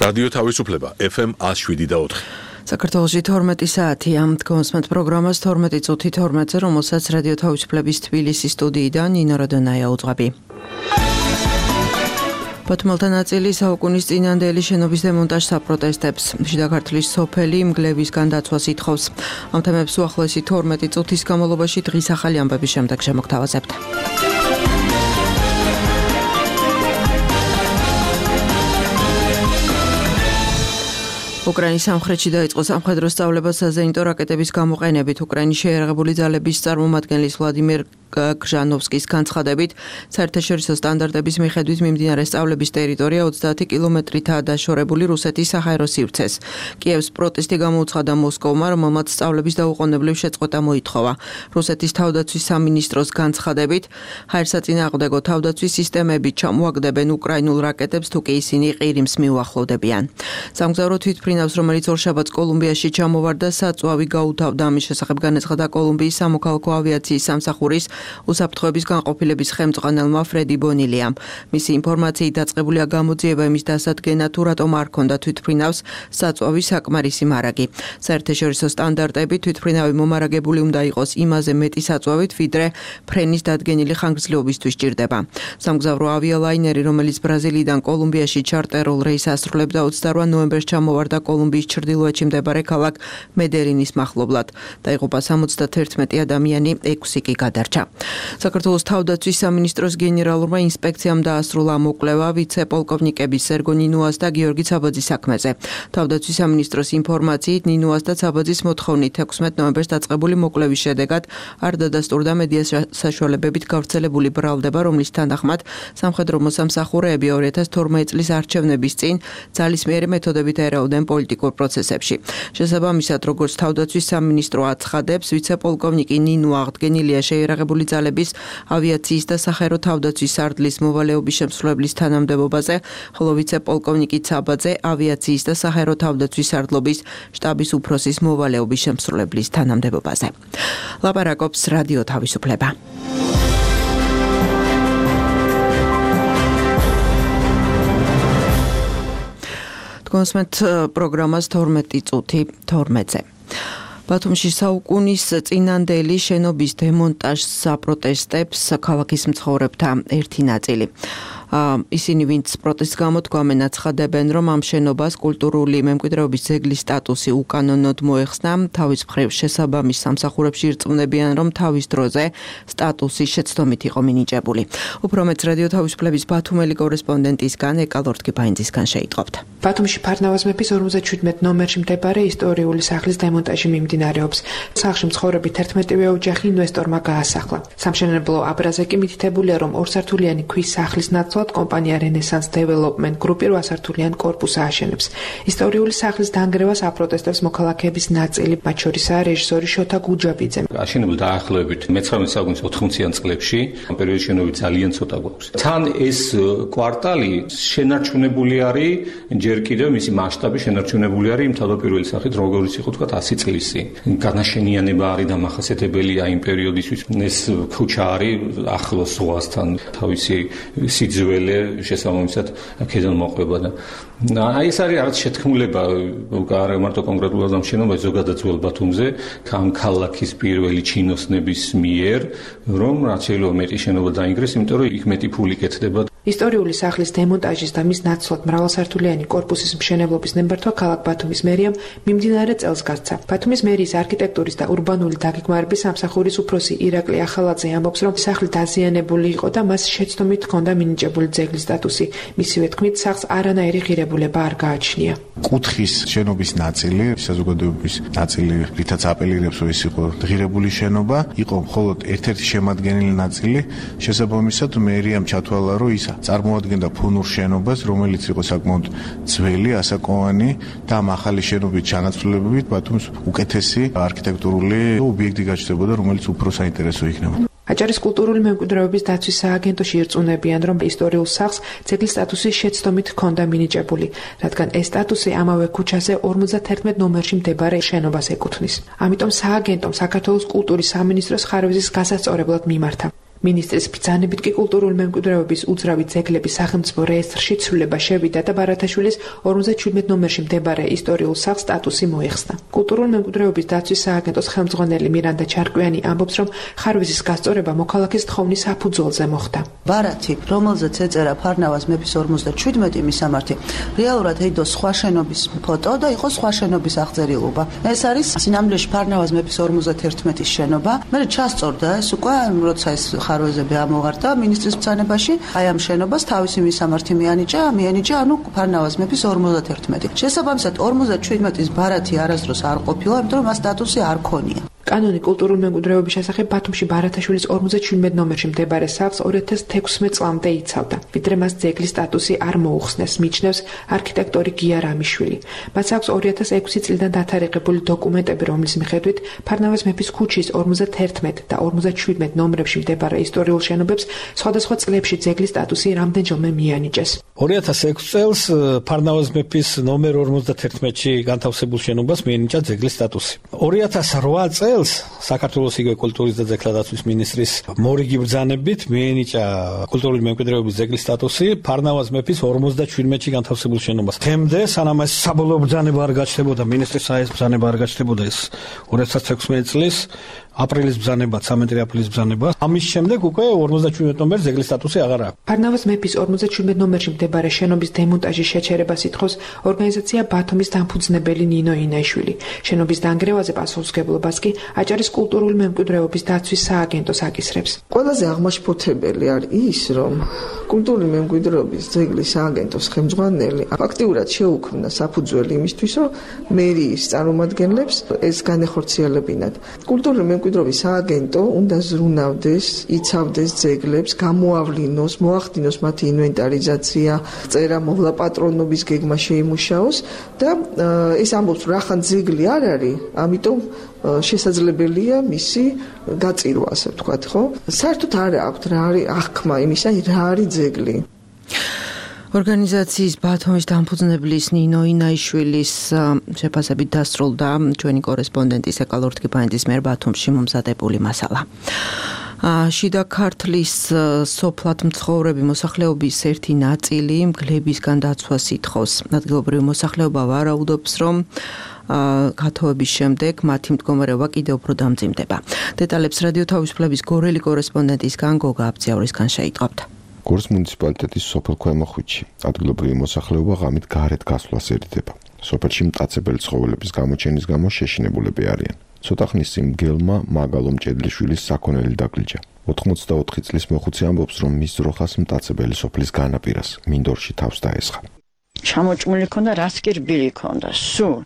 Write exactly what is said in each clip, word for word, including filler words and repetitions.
რადიო თავისუფლება ეფ ემ one oh seven და four. საქართველოში თორმეტი საათი ამ დგომსმენთ პროგრამას თორმეტი წუთი თორმეტზე, რომელსაც რადიო თავისუფლების თბილისის სტუდიიდან ნინო როდონაია უძღვები. ბათუმელთა ნაწილი საუკუნის წინანდელი შენობის დემონტაჟს აპროტესტებს. შიდა ქართლის სოფელი მგლებისგან დაცვას ითხოვს. ამ თემებს უახლოესი თორმეტი წუთის განმავლობაში დღის ახალი ამბების შემდეგ შემოგთავაზებთ. უკრაინის სამხრეთში დაიწყო სამხედრო სწავლება საზეიმო რაკეტების გამოყენებით. უკრაინის შეიარაღებული ძალების წარმომადგენლის ვლადიმერ გჟანოვსკის განცხადებით, საერთაშორისო სტანდარტების მიხედვით მიმდინარე სწავლების ტერიტორია ოცდაათი კილომეტრითაა დაშორებული რუსეთის საჰაერო სივრცეს. კიევს პროტესტი გამოუცხადა მოსკოვმა, რომელმაც სწავლების დაუყოვნებლივ შეწყვეტა მოითხოვა. რუსეთის თავდაცვის სამინისტროს განცხადებით, ჰაერსაწინააღმდეგო თავდაცვის სისტემები ჩამოაგდებენ უკრაინულ რაკეტებს, თუ კი ისინი ყირიმს მიუახლოვდებიან. სამგზავრო თვითმფრინავს, რომელიც ორშაბათს კოლუმბიაში ჩამოვარდა, საწვავი გაუთავდა. ამის შესახებ განაცხადა კოლუმბიის სამოქალაქო ავიაციის სამსახურის უსაფრთხოების განყოფილების ხელმძღვანელმა ფრედი ბონილიამ. მისი ინფორმაციით დაწყებულია გამოძიება იმის დასადგენად, თუ რატომ არ ჰქონდა თვითმფრინავს საწვავის საკმარისი მარაგი. საერთაშორისო სტანდარტები თვითმფრინავი მომარაგებული უნდა იყოს იმაზე მეტი საწვავით, ვიდრე ფრენის დადგენილი ხანგრძლივობისთვის სჭირდება. სამგზავრო ავიალაინერი, რომელიც ბრაზილიიდან კოლუმბიაში ჩარტერულ რეისს ასრულებდა, ოცდაორ ნოემბერს ჩამოვარდა კოლუმბიის ჩრდილოეთში მდებარე ქალაქ მედერინის მახლობლად. დაიღუპა სამოცდაათი ადამიანი, ექვსი კი გადარჩა. საქართველოს თავდაცვის სამინისტროს გენერალურმა ინსპექციამ დაასრულა მოკვლევა ვიცე-პოლკოვნიკების სერგო ნინუას და გიორგი ცაბაძის საქმეზე. თავდაცვის სამინისტროს ინფორმაციით, ნინუას და ცაბაძის მოთხოვნით ექვსმეტ ნოემბერს დაწყებული მოკვლევის შედეგად არ დადასტურდა მედია საშუალებებით გავრცელებული ბრალდება, რომლის თანახმად სამხედრო მოსამსახურეები ორი ათას თორმეტი წლის არჩევნების წინ ძალისმიერი მეთოდებით ერეოდნენ პოლიტიკურ პროცესებში. შესაბამისად, როგორც თავდაცვის სამინისტრო აცხადებს, ვიცე-პოლკოვნიკი ნინუ აღდგენილია შეიარაღებული ძალების ავიაციის და საჰაერო თავდაცვის სარდლის მოვალეობის შემსრულებლის თანამდებობაზე, ხოლო ვიცე-პოლკოვნიკი ცაბაძე ავიაციის და საჰაერო თავდაცვის სარდლობის შტაბის უფროსის მოვალეობის შემსრულებლის თანამდებობაზე. ლაპარაკობს რადიო თავისუფლება. დგომსმენთ პროგრამას თორმეტი წუთი თორმეტზე. ბათუმში საუკუნის წინანდელი შენობის დემონტაჟს აპროტესტებს ქალაქის მცხოვრებთა ერთი ნაწილი. ისინი, ვინც პროტესტს გამოთქვამენ, აცხადებენ, რომ ამ შენობას კულტურული მემკვიდრეობის ძეგლის სტატუსი უკანონოდ მოეხსნა. თავის მხრივ შესაბამის სამსახურებში ირწმუნებიან, რომ თავის დროზე სტატუსი შეცდომით იყო მინიჭებული. უფრო მეც რადიო თავისუფლების ბათუმელი კორესპონდენტისგან ეკალორდ კიბაინძისგან შეიტყობთ. ბათუმში ფარნავაზ მეფის ორმოცდაშვიდმეტ ნომერში მდებარე ისტორიული სახლის დემონტაჟი მიმდინარეობს. სახლში მცხოვრები თერთმეტივე ოჯახი ინვესტორმა გაასახლა. სამშენებლო აბრაზე კი მითითებულია, რომ ორსართულიანი ქვის სახლის ნაცვლად კომპანია რენესანს დეველოპმენტ გრუპი რვასართულიან კორპუსს ააშენებს. ისტორიული სახლის დანგრევას აპროტესტებს მოქალაქეების ნაწილი, მათ შორისაა რეჟისორი შოთა გუჯაბიძე. აშენებულ დაახლოებით მეცხრამეტე საუკუნის ოთხმოციან წლებში, ამ პერიოდში შენობა ძალიან ცოტა გვაქვს. თან ეს კვარტალი შენარჩუნებული არის, ჯერ კიდევ მისი მასშტაბი შენარჩუნებული არის იმ თავდაპირველი სახით, როგორც იყო თქვა ასი წლისი. განაშენიანება არის დამახასიათებელია იმ პერიოდისთვის. ეს ქუჩა არის ახლოს ზღვასთან, თავისი სიძველი შესაბამისად აქედან მოყვება და აი ეს არის რაღაც შეთქმულება არ მარტო კონკრეტულად ამ შენობაში, ზოგადად ძველ ბათუმზე, ამ ქალაქის პირველი ჩინოსნების მიერ, რომ რაც შეიძლება მეტი შენობა დაინგრეს, იმიტომ რომ იქ მეტი ფული კეთდება. ისტორიული სახლის დემონტაჟის და მის ნაცვლად მრავალსართულიანი კორპუსის მშენებლობის ნებართვა ქალაქ ბათუმის მერიამ მიმდინარე წელს გასცა. ბათუმის მერიის არქიტექტურის და ურბანული დაგეგმარების სამსახურის უფროსი ირაკლი ახალაძე ამბობს, რომ სახლი დაზიანებული იყო და მას შეცდომით ჰქონდა მინიჭებული ძეგლის სტატუსი. მისივე თქმით, სახლს არანაირი ღირებულება არ გააჩნია. კუთხის შენობის ნაწილი, საზოგადოების ნაწილი, რითაც აპელირებს, რომ ეს იყო ღირებული შენობა, იყო მხოლოდ ერთ-ერთი შემადგენელი ნაწილი. შესაბამისად, მერიამ ჩათვალა, რომ ის წარმოადგენდა ფუნურ შენობას, რომელიც იყო საკმაოდ ძველი, ასაკოვანი და ამ ახალი შენობის ჩანაცვლებებით ბათუმს უკეთესი არქიტექტურული ობიექტი გაჩნდებოდა, რომელიც უფრო საინტერესო იქნება. აჭარის კულტურული მემკვიდრეობის დაცვის სააგენტოში ირწმუნებიან, რომ ისტორიულ სახლს ძეგლის სტატუსი შეცდომით ჰქონდა მინიჭებული, რადგან ეს სტატუსი ამავე ქუჩაზე ორმოცდათერთმეტ ნომერში მდებარე შენობას ეკუთვნის. ამიტომ სააგენტომ საქართველოს კულტურის სამინისტროს ხარვეზის გასასწორებლად მიმართა. მინისტრის ბრძანებით კი კულტურული მემკვიდრეობის უძრავი ძეგლების სახელმწიფო რეესტრში ცვლილება შევიდა და ბარათაშვილის ორმოცდაჩვიდმეტ ნომერში მდებარე ისტორიულ სახლს სტატუსი მოიხსნა. კულტურული მემკვიდრეობის დაცვის სააგენტოს ხელმძღვანელი მირანდა ჩარკვიანი ამბობს, რომ ხარვეზის გასწორება მოქალაქის თხოვნის საფუძველზე მოხდა. ბარათი, რომელზეც ეწერა ფარნავაზ მეფის ორმოცდაჩვიდმეტი მისამართი, რეალურად ეიდო სხვა შენობის ფოტო და იყო სხვა შენობის აღწერილობა. ეს არის სინამდვილეში ფარნავაზ მეფის ორმოცდაერთმეტის შენობა. მე ჩასწორდა ეს უკვე, როცა ეს ხარვეზები ამოვარდა მინისტრის ბრძანებაში, აი ამ შენობას თავისი მისამართი მიანიჭა, მიანიჭა ანუ ფარნავაზ მეფის ორმოცდაერთმეტი. შესაბამისად ორმოცდაჩვიდმეტის ბარათი არასდროს არ ყოფილა, იმიტომ რომ მას სტატუსი არ ქონია. კანონი კულტურული მემკვიდრეობის შესახებ ბათუმში ბარათაშვილის ორმოცდაჩვიდმეტ ნომერში მდებარე სახლს ორი ათას თექვსმეტ წლამდე იცავდა. ვიდრე მას ძეგლის სტატუსი არ მოუხსნეს, მიჩნევს არქიტექტორი გია რამიშვილი. მას აქვს ორი ათას ექვსი წლიდან დათარიღებული დოკუმენტები, რომლის მიხედვით ფარნავაზ მეფის ქუჩის ორმოცდაერთმეტ და ორმოცდაჩვიდმეტ ნომრებში მდებარე ისტორიულ შენობებს სხვადასხვა წლებში ძეგლის სტატუსი რამდენჯერმე მიანიჭეს. ორი ათას ექვსი წელს ფარნავაზ მეფის ნომერ ორმოცდაერთმეტში განთავსებულ შენობას მიენიჭა ძეგლის სტატუსი. ორი ათას რვა წელს საქართველოს იგივე კულტურის და ძეგლთა დაცვის მინისტრის მორიგი ბრძანებით მიენიჭა კულტურული მემკვიდრეობის ძეგლის სტატუსი ფარნავაზ მეფის ორმოცდაჩვიდმეტში განთავსებულ შენობას. თემდე სანამ ეს საბოლოო ბრძანება არ გაჩნდებოდა, მინისტრის საეს ბრძანება არ გაჩნდებოდა ეს ორი ათას თექვსმეტი წლის აპრილის ბრძანება, ცამეტი აპრილის ბრძანება. ამის შემდეგ უკვე ორმოცდაჩვიდმეტ ნომერს ძეგლის სტატუსი აღარ აქვს. ფარნავაზ მეფის ორმოცდაჩვიდმეტ ნომერში მდებარეობს შენობის დემონტაჟის შეჩერებას ითხოვს ორგანიზაცია ბათუმის დამფუძნებელი ნინო ინაიშვილი. შენობის დანგრევაზე პასუხისმგებლობას კი აჭარის კულტურული მემკვიდრეობის დაცვის სააგენტოს აკისრებს. ყველაზე აღმაშფოთებელი არის ის, რომ კულტურული მემკვიდრეობის ძეგლის სააგენტოს ხელმძღვანელი აქტიურად შეუქმნა საფუძველი იმისთვის, რომ მერიის წარმომადგენლებს ეს განეხორციელებინათ. კულტურული მემკვიდრეობის სააგენტო უნდა ზრუნავდეს, იცავდეს ძეგლებს, გამოავლინოს, მოახდინოს მათი ინვენტარიზაცია, წერა მოვლა პატრონობის გეგმა შეიმუშაოს და ეს ამბობს, რომ ახან ძეგლი არ არის, ამიტომ შესაძლებელია მისი გაწირვა, ასე ვთქვათ, ხო? საერთოდ არ აქვს რა არის აღქმა იმისა, რა არის ძეგლი. ორგანიზაციის ბათუმის დამფუძნებლის ნინო ინაიშვილის შეფასებით დასრულდა ჩვენი კორესპონდენტის ეკალ ორთქიფანიძის მიერ ბათუმში მომზადებული მასალა. შიდა ქართლის სოფლად მცხოვრები მოსახლეობის ერთი ნაწილი მგლებისგან დაცვას ითხოვს. ადგილობრივი მოსახლეობა ვარაუდობს, რომ გათხოვების შემდეგ მათი მდგომარეობა კიდევ უფრო დამძიმდება. დეტალებს რადიო თავისუფლების გორელი კორესპონდენტისგან გოგა აბძიაურისგან შეიტყობთ. გორის მუნიციპალიტეტის სოფელ ქვემო ხვიჩი ადგილობრივი მოსახლეობა ღამით გარეთ გასვლას ერიდება. სოფელში მტაცებელი ცხოველების გამოჩენის გამო შეშინებულები არიან. ცოტა ხნის წინ მგელმა მაგალო მჭედლიშვილის საქონელი დაგლიჯა. ოთხმოცდაოთხი წლის მოხუცი ამბობს, რომ მის ძროხას მტაცებელი სოფლის განაპირას მინდორში თავს დაესხა. ჩამოჭმული ქონდა, რას კი რბილი ქონდა, სულ.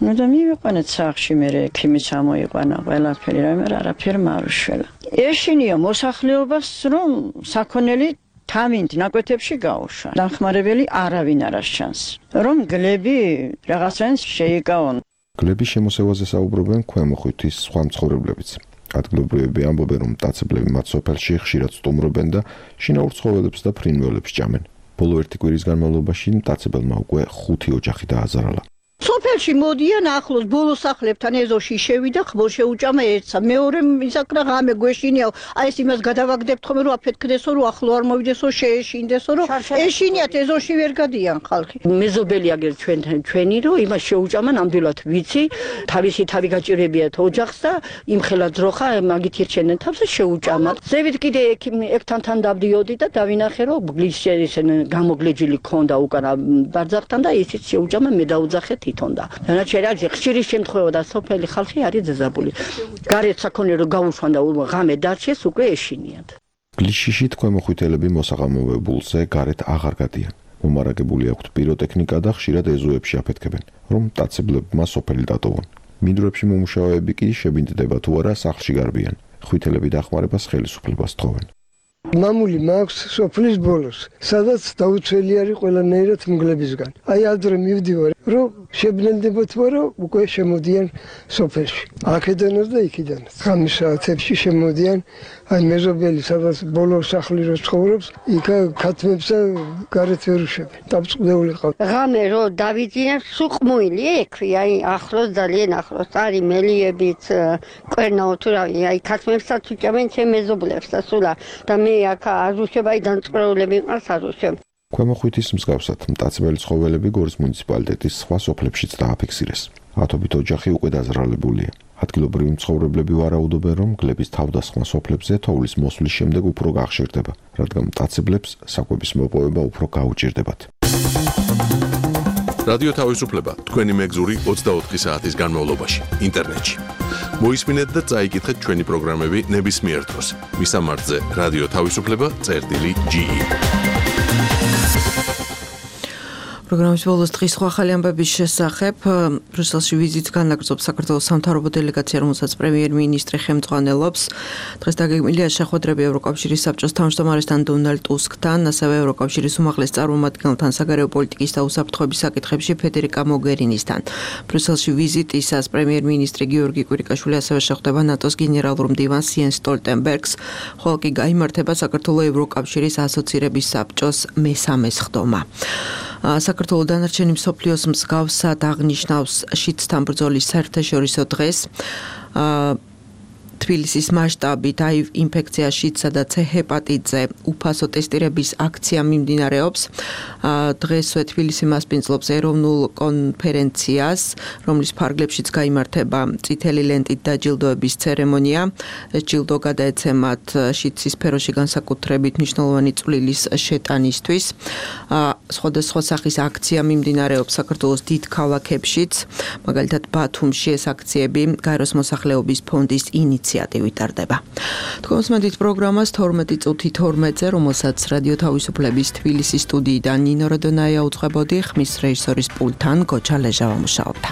ნუ და მივიყვანეთ სახლში, მე ექიმი ჩამოიყვანა, ყველაფერი, რაიმე არაფერი მარუშველა. ეშინია მოსახლეობას, რომ საქონელი თავინთ ნაკვეთებში გაუშვა. დამხმარებელი არავინ არ ასჩანს. რომ გლები რაღაცას შეიკავონ. გლების შემოსევაზე საუბრობენ ქვემო ხვიჩის სხვა მცხოვრებლებიც. ადგილობრივები ამბობენ, რომ მტაცებლები მათ სოფელში ხშირად სტუმრობენ და შინაურ ცხოველებს და ფრინველებს ჭამენ. ბოლო ერთი კვირის განმავლობაში მტაცებელმა უკვე ხუთი ოჯახი დააზარალა. სოფელში მოდიან ახლოს ბოლო სახლებთან ეზოში შევიდა, ხბო შეუჭამა ერთსა. მეორე ისაკრა ღამე გვეშინიაო. აი ეს იმას გადავაგდებთ ხომ რომ აფეთქდესო, რომ ახლო არ მოვიდესო, შეეშინდესო, რომ ეშინიათ ეზოში ვერ გადიან ხალხი. მეზობელი აგერ ჩვენ ჩვენი რომ იმას შეუჭამა ნამდვილად ვიცი, თავისი თავი გაჭირებიათ ოჯახს და იმხელა ძროხა მაგით ირჩენენ თავს და შეუჭამათ. ზევით კიდე ექთანთან დავდიოდი და დავინახე რომ გლის ისენ გამოგლეჯილი ქონდა უკანა ბარძახთან და ისიც შეუჭამა მე დაუძახე თვითონ და დანარჩენი არის ხშირი შემთხვევა და სოფელი ხალხი არის ზეზაბული. გარეთ საქონელი რომ გაუშვან და ღამე დარჩეს უკვე ეშინიათ. გლიშიში თქვემოხვითელები მოსაღამოებულზე გარეთ აღარ გადიან. მომარაგებული აქვთ პიროტექნიკა და ხშირად ეზოებში აფეთქებენ, რომ მტაცებლებმა სოფელი დატოვონ. მინდვრებში მომუშავეები კი შებინდდება თუ არა სახლში გარბიან. ხვითელები დახმარებას ხელისუფლებას თხოვენ. მამული მაქვს სოფლის ბოლოს, სადაც დაუცველი არის ყველანაირად მგლებისგან. აი ადრე მივდივარ, რომ შებრენდებათ, მაგრამ უკვე შემოდიან სოფელში. აქედანაც და იქიდანაც. ხამის საათებში შემოდიან აი მეზობელი, სადაც ბოლო სახლი რო ცხოვრობს, იქ ქათმებს გარეთ ვერ უშვებენ. დაბწყდეული ყავთ. ღამე რო დავიძინებ, სუყმუილი ექვია, აი ახლოს ძალიან ახლოს არის მელიებიც, კვერნაო თუ რავი, აი ქათმებსაც უჭამენ ჩემ მეზობლებსაც სულა და მე აქ არ უშვებ, აი დამწყრეულები მყავს არ უშვებ. ქვემო ხვითის მსგავსად მტაცებელი ცხოველები გორის მუნიციპალიტეტის სხვა სოფლებშიც დააფიქსირეს. ათობით ოჯახი უკვე დაზრალებულია. ადგილობრივი მცხოვრებლები ვარაუდობენ, რომ გლების თავდასხმა სოფლებზე თოვლის მოსვლის შემდეგ უფრო გახშირდება, რადგან მტაცებლებს საკვების მოპოვება უფრო გაუჭირდებათ. რადიო თავისუფლება თქვენი მეგზური ოცდაოთხი საათის განმავლობაში ინტერნეტში. მოისმინეთ და წაიკითხეთ ჩვენი პროგრამები ნებისმიერ დროს. მისამართზე რადიო თავისუფლება წერტილი ჯი ი. პროგრამის ბოლოს დღის სხვა ახალი ამბების შესახებ ბრიუსელში ვიზიტს განაგრძობს საქართველოს სამთავრობო დელეგაცია, რომელსაც პრემიერ-მინისტრი ხელმძღვანელობს. დღეს დაგეგმილია შეხვედრები ევროკავშირის საბჭოს თავმჯდომარესთან დონალდ ტუსკთან, ასევე ევროკავშირის უმაღლეს წარმომადგენელთან საგარეო პოლიტიკის და უსაფრთხოების საკითხებში ფედერიკა მოგერინისთან. ბრიუსელში ვიზიტისას პრემიერ-მინისტრი გიორგი კვირიკაშვილი ასევე შეხვდება ნატოს გენერალურ მდივანს იენს სტოლტენბერგს, ხოლო კი გაიმართება საქართველოს ევროკავშირის ასოცირების საბჭოს მესამე სხდომა. საქართველოს დანარჩენი მსოფლიოს მსგავსად აღნიშნავს შიდსთან ბრძოლის საერთაშორისო დღეს. თბილისის მასშტაბით აი ინფექცია შიდსა და ცე ჰეპატიტზე უფასო ტესტირების აქცია მიმდინარეობს. დღესვე თბილისი მასპინძლობს ეროვნულ კონფერენციას, რომლის ფარგლებშიც გაიმართება წითელი ლენტით დაჯილდოების ცერემონია. ეს ჯილდო გადაეცემათ შიდსის სფეროში განსაკუთრებით მნიშვნელოვანი წვლილის შეტანისთვის. სხვადასხვა სახის აქცია მიმდინარეობს საქართველოს დიდ ქალაქებშიც, მაგალითად ბათუმში ეს აქციები გაეროს მოსახლეობის ფონდის ინიციატივით ტარდება. თქვენს მედით პროგრამას თორმეტი წუთი თორმეტზე, რომელსაც რადიო თავისუფლების თბილისის სტუდიიდან ნინო როდონაია უძღვებოდი, ხმის რეჟისორის პულტთან გოჩა ლეჟავა მუშაობდა.